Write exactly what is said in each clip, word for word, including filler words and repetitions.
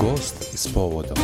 Gost s povodom.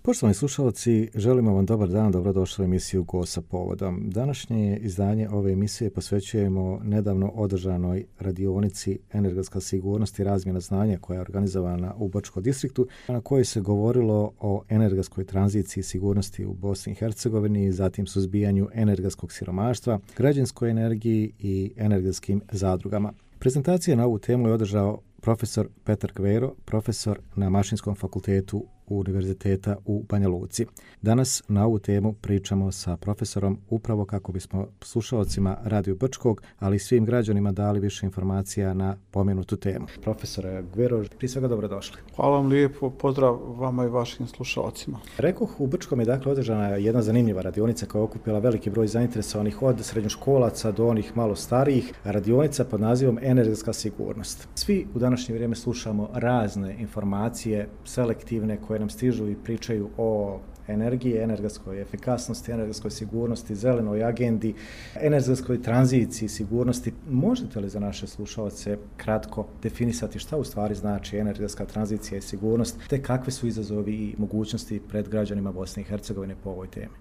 Poštovani slušalci, želimo vam dobar dan, dobrodošli u emisiju Gost sa povodom. Današnje izdanje ove emisije posvećujemo nedavno održanoj radionici Energetska sigurnost i razmjena znanja koja je organizovana u Brčkom distriktu, na kojoj se govorilo o energetskoj tranziciji i sigurnosti u Bosni i Hercegovini, zatim suzbijanju energetskog siromaštva, građanskoj energiji i energetskim zadrugama. Prezentacija na ovu temu je održao profesor Petar Kvero, profesor na Mašinskom fakultetu Univerziteta u Banja Luci. Danas na ovu temu pričamo sa profesorom upravo kako bismo slušalcima Radio Brčkog, ali i svim građanima dali više informacija na pomenutu temu. Profesore Kvero, prije svega dobrodošli. Hvala vam lijepo, pozdrav vama i vašim slušalcima. Rekoh, u Brčkom je dakle održana jedna zanimljiva radionica koja je okupila veliki broj zainteresovanih od srednjoškolaca do onih malo starijih. Radionica pod nazivom Energetska sigurnost. Svi u današnje vrijeme slušamo razne informacije, selektivne, koje nam stižu i pričaju o energiji, energetskoj efikasnosti, energetskoj sigurnosti, zelenoj agendi, energetskoj tranziciji, sigurnosti. Možete li za naše slušalce kratko definisati šta u stvari znači energetska tranzicija i sigurnost, te kakve su izazovi i mogućnosti pred građanima Bosne i Hercegovine po ovoj temi?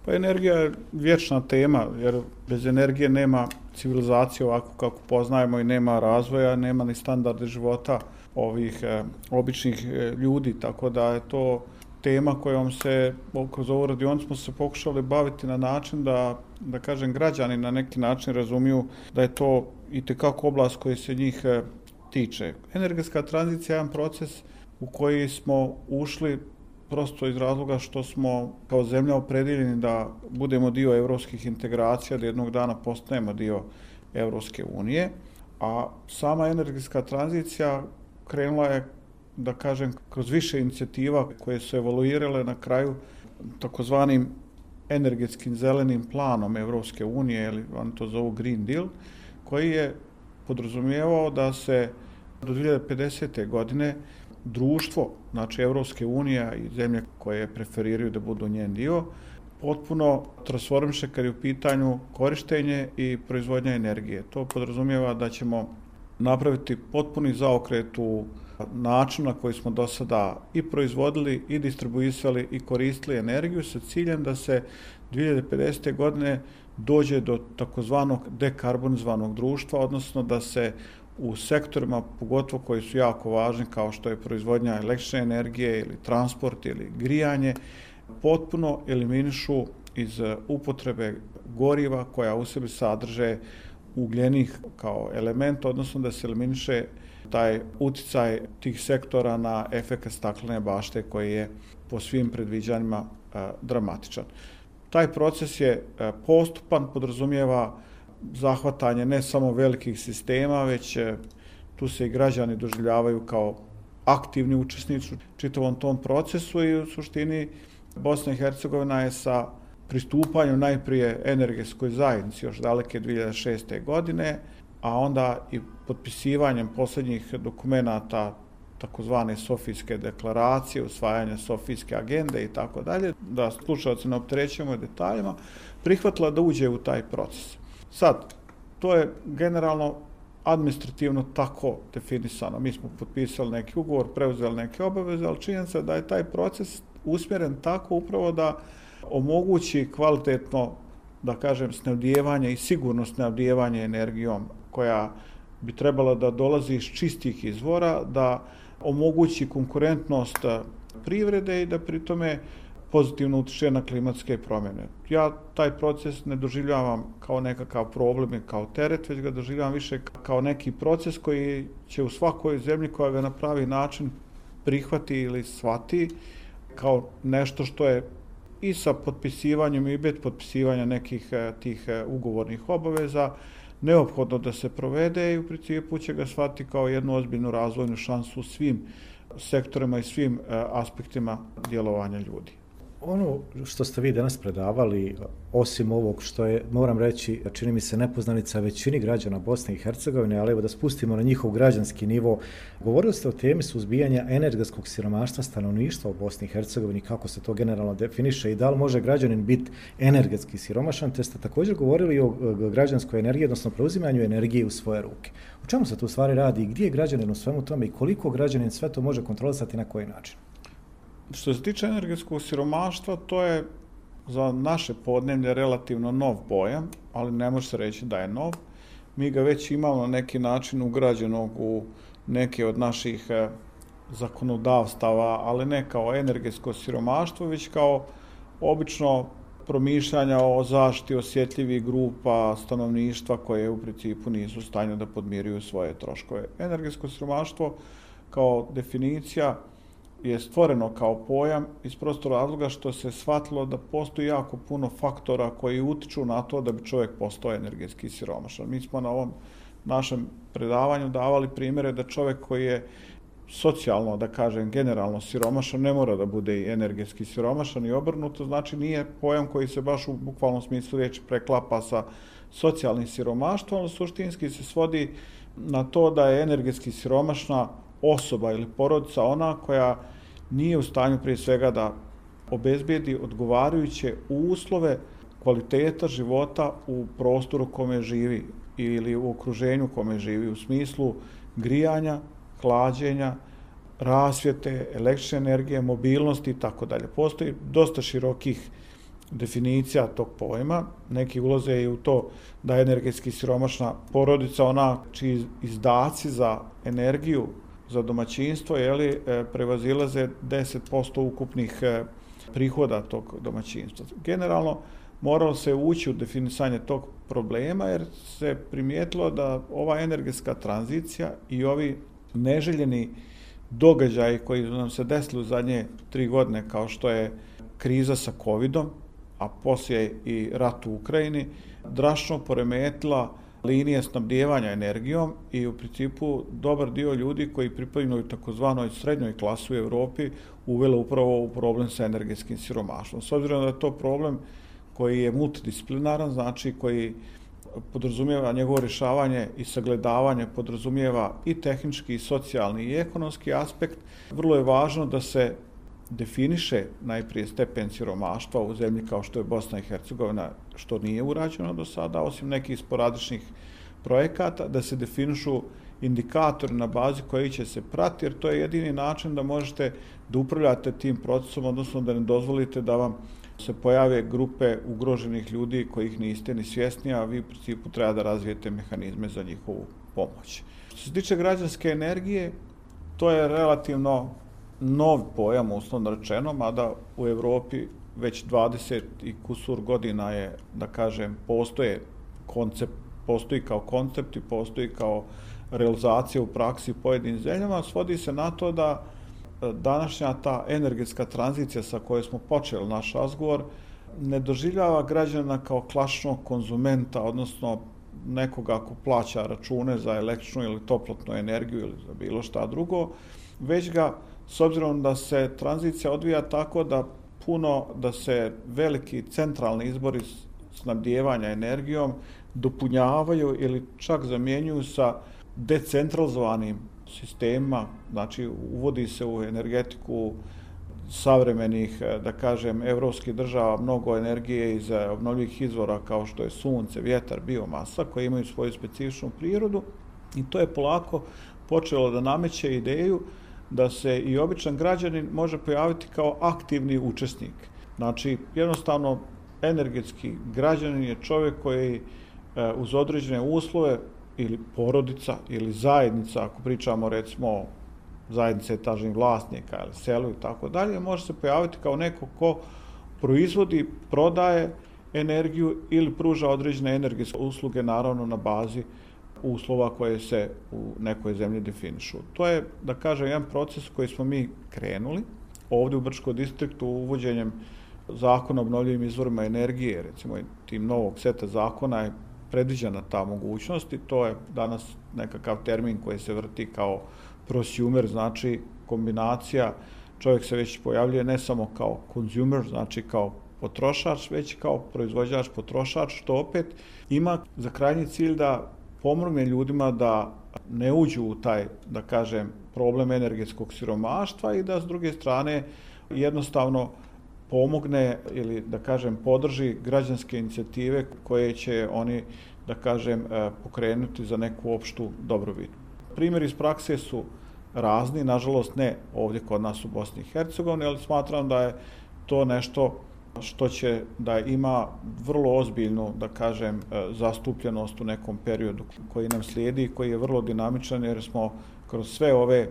Pa energija je vječna tema, jer bez energije nema civilizacije ovako kako poznajemo i nema razvoja, nema ni standarde života ovih e, običnih e, ljudi, tako da je to tema kojom se, kroz ovu radionicu smo se pokušali baviti na način da, da kažem, građani na neki način razumiju da je to itekako oblast koji se njih e, tiče. Energetska tranzicija je jedan proces u koji smo ušli prosto iz razloga što smo kao zemlja opredjeljeni da budemo dio evropskih integracija, da jednog dana postanemo dio Evropske unije, a sama energetska tranzicija krenula je, da kažem, kroz više inicijativa koje su evoluirale na kraju takozvanim energetskim zelenim planom Evropske unije, ili oni to zovu Green Deal, koji je podrazumijevao da se do dvije hiljade pedesete. godine društvo, znači Evropske unije i zemlje koje preferiraju da budu njen dio, potpuno transformiše kad je u pitanju korištenje i proizvodnja energije. To podrazumijeva da ćemo napraviti potpuni zaokret u način na koji smo do sada i proizvodili, i distribuisali, i koristili energiju sa ciljem da se dvije hiljade pedesete. godine dođe do takozvanog dekarbonizovanog društva, odnosno da se u sektorima, pogotovo koji su jako važni, kao što je proizvodnja električne energije ili transport ili grijanje, potpuno eliminišu iz upotrebe goriva koja u sebi sadrže ugljenih kao element, odnosno da se eliminiše taj uticaj tih sektora na efekat staklene bašte koji je po svim predviđanjima e, dramatičan. Taj proces je e, postupan, podrazumijeva zahvatanje ne samo velikih sistema, već e, tu se i građani doživljavaju kao aktivni učesnici u čitavom tom procesu i u suštini Bosna i Hercegovina je sa pristupanjem najprije energetskoj zajednici još daleke dvije hiljade šeste. godine, a onda i potpisivanjem posljednjih dokumenata takozvane Sofijske deklaracije, usvajanja Sofijske agende i tako dalje, da slušalci ne opterećujemo detaljima, prihvatila da uđe u taj proces. Sad, to je generalno administrativno tako definisano. Mi smo potpisali neki ugovor, preuzeli neke obaveze, ali činjenica da je taj proces usmjeren tako upravo da omogući kvalitetno, da kažem, snabdijevanje i sigurno snabdijevanje energijom koja bi trebala da dolazi iz čistih izvora, da omogući konkurentnost privrede i da pri tome pozitivno utiče na klimatske promjene. Ja taj proces ne doživljavam kao nekakav problem i kao teret, već ga doživljavam više kao neki proces koji će u svakoj zemlji koja ga na pravi način prihvati ili shvati kao nešto što je i sa potpisivanjem i bez potpisivanja nekih tih ugovornih obaveza neophodno da se provede i u principu će ga shvatiti kao jednu ozbiljnu razvojnu šansu u svim sektorima i svim aspektima djelovanja ljudi. Ono što ste vi danas predavali, osim ovog što je, moram reći, čini mi se nepoznanica većini građana Bosne i Hercegovine, ali evo da spustimo na njihov građanski nivo, govorili ste o temi suzbijanja energetskog siromaštva stanovništva u Bosni i Hercegovini, kako se to generalno definiše i da li može građanin biti energetski siromašan, te ste također govorili o građanskoj energiji, odnosno preuzimanju energije u svoje ruke. O čemu se tu stvari radi i gdje je građanin u svemu tome i koliko građanin sve to može kontrolisati na koji način? Što se tiče energetskog siromaštva, to je za naše podneblje relativno nov pojam, ali ne može se reći da je nov. Mi ga već imamo na neki način ugrađenog u neke od naših zakonodavstava, ali ne kao energetsko siromaštvo, već kao obično promišljanja o zaštiti osjetljivih grupa stanovništva koje u principu nisu u stanju da podmiruju svoje troškove. Energetsko siromaštvo kao definicija je stvoreno kao pojam iz prostog razloga što se shvatilo da postoji jako puno faktora koji utiču na to da bi čovjek postao energetski siromašan. Mi smo na ovom našem predavanju davali primjere da čovjek koji je socijalno, da kažem, generalno siromašan, ne mora da bude i energetski siromašan i obrnuto, znači nije pojam koji se baš u bukvalnom smislu riječi preklapa sa socijalnim siromaštvom, ali suštinski se svodi na to da je energetski siromašna osoba ili porodica ona koja nije u stanju prije svega da obezbijedi odgovarajuće uslove kvaliteta života u prostoru kome živi ili u okruženju kome živi, u smislu grijanja, hlađenja, rasvjete, električne energije, mobilnosti i tako dalje. Postoji dosta širokih definicija tog pojma. Neki ulaze i u to da je energetski siromašna porodica ona čiji izdaci za energiju za domaćinstvo jeli, prevazilaze deset posto ukupnih prihoda tog domaćinstva. Generalno, moralo se ući u definisanje tog problema jer se primijetilo da ova energetska tranzicija i ovi neželjeni događaji koji nam se desili u zadnje tri godine kao što je kriza sa covidom, a poslije i rat u Ukrajini, drastično poremetila linije snabdijevanja energijom i u principu dobar dio ljudi koji pripadaju takozvanoj srednjoj klasi u Europi uvela upravo u problem sa energetskim siromaštvom. S obzirom da je to problem koji je multidisciplinaran, znači koji podrazumijeva njegovo rješavanje i sagledavanje, podrazumijeva i tehnički, i socijalni, i ekonomski aspekt, vrlo je važno da se definiše najprije stepen siromaštva u zemlji kao što je Bosna i Hercegovina, što nije urađeno do sada, osim nekih sporadičnih projekata, da se definišu indikatori na bazi koji će se prati, jer to je jedini način da možete da upravljate tim procesom, odnosno da ne dozvolite da vam se pojave grupe ugroženih ljudi kojih niste ni svjesni, a vi u principu treba da razvijete mehanizme za njihovu pomoć. Što se tiče građanske energije, to je relativno nov pojam, uslovno rečeno, mada u Europi već dvadeset i kusur godina je, da kažem, postoje koncept, postoji kao koncept i postoji kao realizacija u praksi u pojedinim zemljama, svodi se na to da današnja ta energetska tranzicija sa kojoj smo počeli naš razgovor ne doživljava građana kao klasičnog konzumenta, odnosno nekoga ko plaća račune za električnu ili toplotnu energiju ili za bilo šta drugo, već ga, s obzirom da se tranzicija odvija tako da puno, da se veliki centralni izbori snabdijevanja energijom dopunjavaju ili čak zamjenjuju sa decentralizovanim sistemima, znači uvodi se u energetiku savremenih, da kažem, evropskih država mnogo energije iz obnovljivih izvora kao što je sunce, vjetar, biomasa, koji imaju svoju specifičnu prirodu i to je polako počelo da nameće ideju da se i običan građanin može pojaviti kao aktivni učesnik. Znači, jednostavno, energetski građanin je čovjek koji uz određene uslove ili porodica ili zajednica, ako pričamo recimo zajednice etažnih vlasnika ili selu i tako dalje, može se pojaviti kao neko ko proizvodi, prodaje energiju ili pruža određene energetske usluge, naravno na bazi uslova koje se u nekoj zemlji definišu. To je, da kažem, jedan proces koji smo mi krenuli ovdje u Brčkom distriktu uvođenjem zakona o obnovljivim izvorima energije, recimo tim novog seta zakona je predviđena ta mogućnost i to je danas nekakav termin koji se vrti kao prosumer, znači kombinacija čovjek se već pojavljuje ne samo kao consumer, znači kao potrošač, već kao proizvođač, potrošač, što opet ima za krajnji cilj da pomogne ljudima da ne uđu u taj, da kažem, problem energetskog siromaštva i da s druge strane jednostavno pomogne ili da kažem podrži građanske inicijative koje će oni, da kažem, pokrenuti za neku opštu dobrobit. Primjeri iz prakse su razni, nažalost ne ovdje kod nas u Bosni i Hercegovini, ali smatram da je to nešto što će da ima vrlo ozbiljnu, da kažem, zastupljenost u nekom periodu koji nam slijedi i koji je vrlo dinamičan jer smo kroz sve ove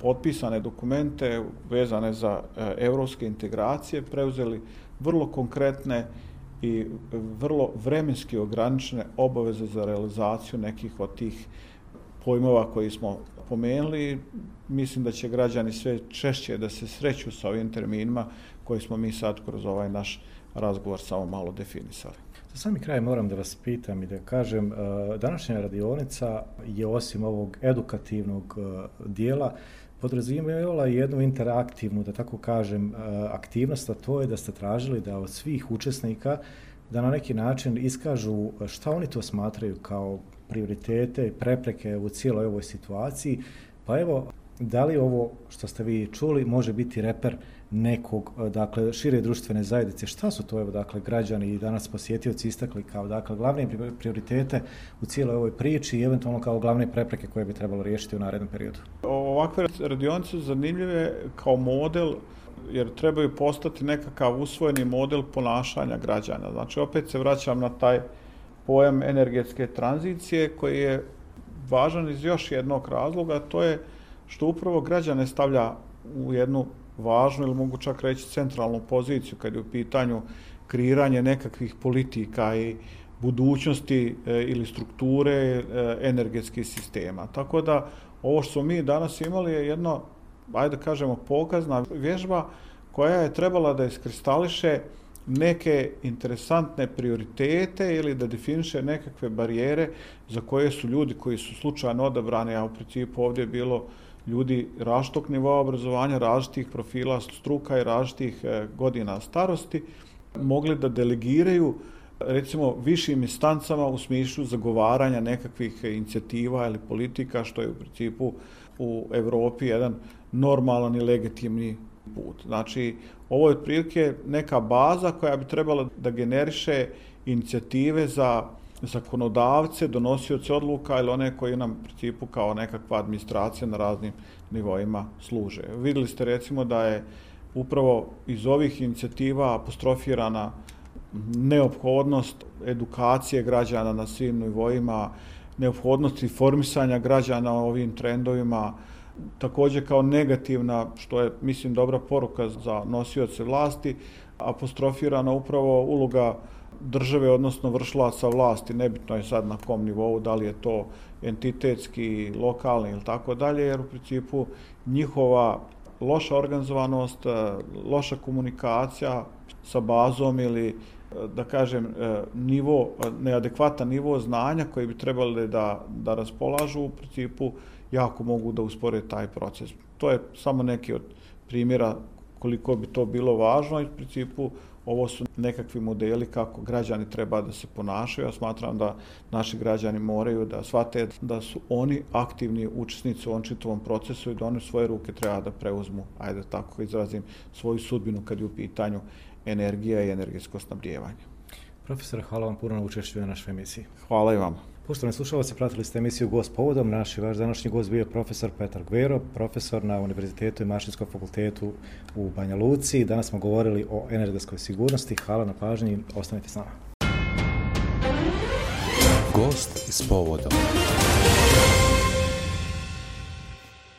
potpisane dokumente vezane za evropske integracije preuzeli vrlo konkretne i vrlo vremenski ograničene obaveze za realizaciju nekih od tih pojmova koji smo pomenuli. Mislim da će građani sve češće da se sreću sa ovim terminima koji smo mi sad kroz ovaj naš razgovor samo malo definisali. Za sami kraj moram da vas pitam i da kažem, današnja radionica je osim ovog edukativnog dijela podrazumijevala jednu interaktivnu, da tako kažem, aktivnost, a to je da ste tražili da od svih učesnika da na neki način iskažu šta oni to smatraju kao prioritete i prepreke u cijeloj ovoj situaciji. Pa evo, da li ovo što ste vi čuli može biti reper nekog, dakle, šire društvene zajednice? Šta su to, evo, dakle, građani i danas posjetioci istakli kao, dakle, glavne prioritete u cijeloj ovoj priči i eventualno kao glavne prepreke koje bi trebalo riješiti u narednom periodu? Ovakve radionice su zanimljive kao model, jer trebaju postati nekakav usvojeni model ponašanja građana. Znači, opet se vraćam na taj pojam energetske tranzicije koji je važan iz još jednog razloga, to je što upravo građane stavlja u jednu važnu ili mogu čak reći centralnu poziciju kad je u pitanju kreiranje nekakvih politika i budućnosti ili strukture energetskih sistema. Tako da ovo što mi danas imali je jedno, ajde da kažemo, pokazna vježba koja je trebala da iskristališe neke interesantne prioritete ili da definiše nekakve barijere za koje su ljudi koji su slučajno odabrani, a u principu ovdje je bilo ljudi različitog nivoa obrazovanja, različitih profila struka i različitih godina starosti, mogli da delegiraju recimo višim instancama u smislu zagovaranja nekakvih inicijativa ili politika, što je u principu u Evropi jedan normalan i legitimni put. Znači, ovo je otprilike neka baza koja bi trebala da generiše inicijative za zakonodavce, donosioce odluka ili one koji nam u principu kao nekakva administracija na raznim nivoima služe. Vidjeli ste recimo da je upravo iz ovih inicijativa apostrofirana neophodnost edukacije građana na svim nivoima, neophodnost informisanja građana o ovim trendovima, također kao negativna, što je, mislim, dobra poruka za nosioce vlasti, apostrofirana upravo uloga države, odnosno vršilaca vlasti, nebitno je sad na kom nivou, da li je to entitetski, lokalni ili tako dalje, jer u principu njihova loša organizovanost, loša komunikacija sa bazom ili, da kažem, nivo, neadekvatan nivo znanja koji bi trebali da, da raspolažu, u principu jako mogu da uspore taj proces. To je samo neki od primjera koliko bi to bilo važno i u principu ovo su nekakvi modeli kako građani treba da se ponašaju. Ja smatram da naši građani moraju da shvate da su oni aktivni učesnici u ovom čitavom procesu i da oni svoje ruke treba da preuzmu, ajde tako izrazim, svoju sudbinu kad je u pitanju energija i energetsko snabdijevanje. Profesor, hvala vam puno na učešću na našoj emisiji. Hvala i vama. Poštovani slušalci, pratili ste emisiju Gost povodom. Naš i vaš današnji gost bio profesor Petar Gvero, profesor na Univerzitetu i Mašinskom fakultetu u Banja Luci. Danas smo govorili o energetskoj sigurnosti. Hvala na pažnji, ostanite s nama. Gost s povodom.